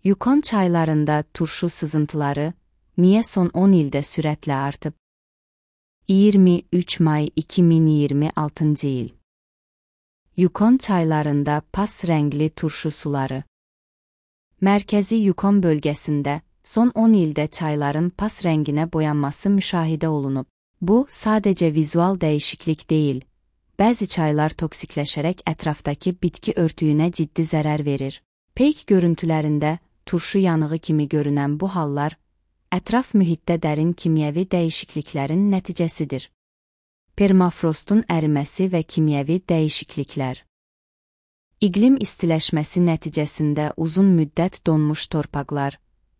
Yukon çaylarında turşu sızıntıları niyə son 10 ildə sürətlə artıb? 23 may 2026 il. Yukon çaylarında pas rəngli turşu suları. Mərkəzi Yukon bölgəsində son 10 ildə çayların pas rənginə boyanması müşahidə olunub. Bu, sadəcə vizual dəyişiklik deyil. Bəzi çaylar toksikləşərək ətrafdakı bitki örtüyünə ciddi zərər verir. Peyk görüntülərində turşu yanığı kimi görünən bu hallar, ətraf mühitdə dərin kimyəvi dəyişikliklərin nəticəsidir. Permafrostun əriməsi və kimyəvi dəyişikliklər. İqlim istiləşməsi nəticəsində uzun müddət donmuş torpaqlar,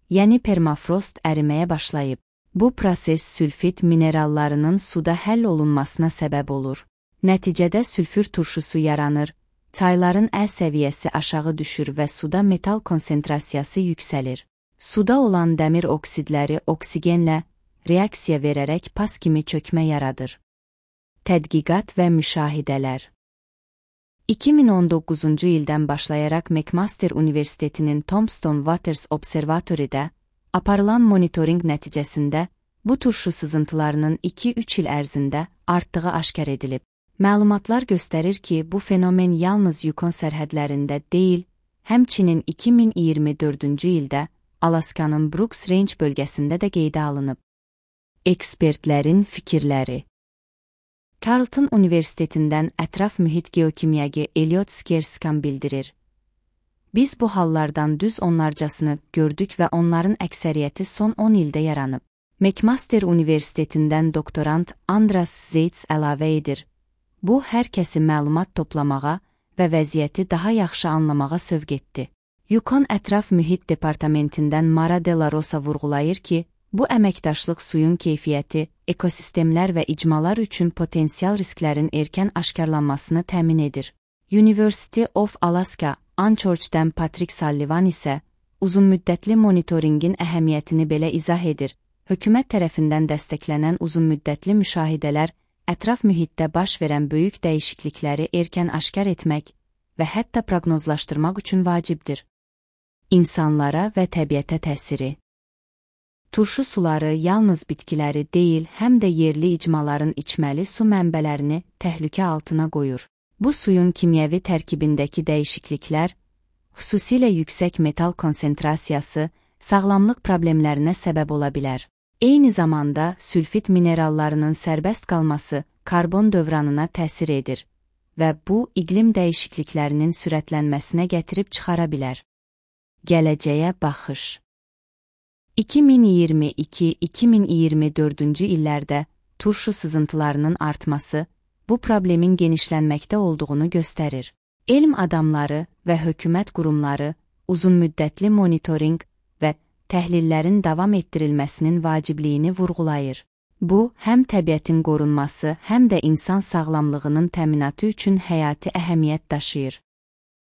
yəni permafrost əriməyə başlayıb. Bu proses sülfit minerallarının suda həll olunmasına səbəb olur. Nəticədə sülfür turşusu yaranır, çayların əl səviyyəsi aşağı düşür və suda metal konsentrasiyası yüksəlir. Suda olan dəmir oksidləri oksigenlə reaksiya verərək pas kimi çökmə yaradır. Tədqiqat və müşahidələr. 2019-cu ildən başlayaraq McMaster Universitetinin Thompson Waters Observatory'də aparılan monitorinq nəticəsində bu turşu sızıntılarının 2-3 il ərzində artdığı aşkar edilib. Məlumatlar göstərir ki, bu fenomen yalnız Yukon sərhədlərində deyil, həmçinin 2024-cü ildə Alaskanın Brooks Range bölgəsində də qeydə alınıb. Ekspertlərin fikirləri. Carleton Universitetindən ətraf mühit geokimyaqi Elliot Skerskan bildirir. Biz bu hallardan düz onlarcasını gördük və onların əksəriyyəti son 10 ildə yaranıb. McMaster Universitetindən doktorant Andras Zeitz əlavə edir. Bu, hər kəsi məlumat toplamağa və vəziyyəti daha yaxşı anlamağa sövq etdi. Yukon Ətraf Mühit Departamentindən Mara de la Rosa vurğulayır ki, bu əməkdaşlıq suyun keyfiyyəti, ekosistemlər və icmalar üçün potensial risklərin erkən aşkarlanmasını təmin edir. University of Alaska Anchorage-dən Patrick Sullivan isə uzunmüddətli monitorinqin əhəmiyyətini belə izah edir. Hökumət tərəfindən dəstəklənən uzunmüddətli müşahidələr ətraf mühitdə baş verən böyük dəyişiklikləri erkən aşkar etmək və hətta proqnozlaşdırmaq üçün vacibdir. İnsanlara və təbiətə təsiri. Turşu suları yalnız bitkiləri deyil, həm də yerli icmaların içməli su mənbələrini təhlükə altına qoyur. Bu suyun kimyəvi tərkibindəki dəyişikliklər, xüsusilə yüksək metal konsentrasiyası, sağlamlıq problemlərinə səbəb ola bilər. Eyni zamanda sülfit minerallarının sərbəst qalması karbon dövranına təsir edir və bu, iqlim dəyişikliklərinin sürətlənməsinə gətirib çıxara bilər. Gələcəyə baxış. 2022-2024-cü illərdə turşu sızıntılarının artması bu problemin genişlənməkdə olduğunu göstərir. Elm adamları və hökumət qurumları uzunmüddətli monitorinq və təhlillərin davam etdirilməsinin vacibliyini vurğulayır. Bu, həm təbiətin qorunması, həm də insan sağlamlığının təminatı üçün həyati əhəmiyyət daşıyır.